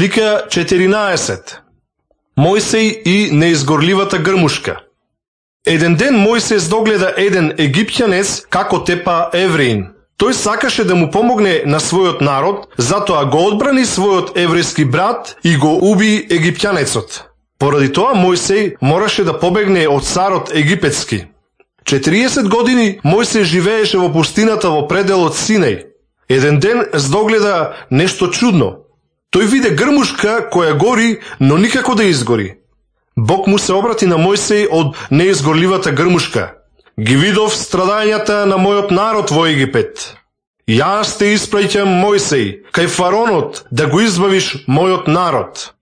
Слика 14. Мојсей и неизгорливата грмушка. Еден ден Мојсей здогледа еден египтјанец како тепа евреин. Тој сакаше да му помогне на својот народ, затоа го одбрани својот еврејски брат и го уби египтјанецот. Поради тоа Мојсей мораше да побегне од царот египетски. 40 години Мојсей живееше во пустината во пределот Синај. Еден ден здогледа нешто чудно. Тој виде грмушка која гори, но никако да изгори. Бог му се обрати на Мојсей од неизгорливата грмушка. Ги видов страдањата на мојот народ во Египет. Јас те испраќам, Мојсей, кај фаронот, да го избавиш мојот народ.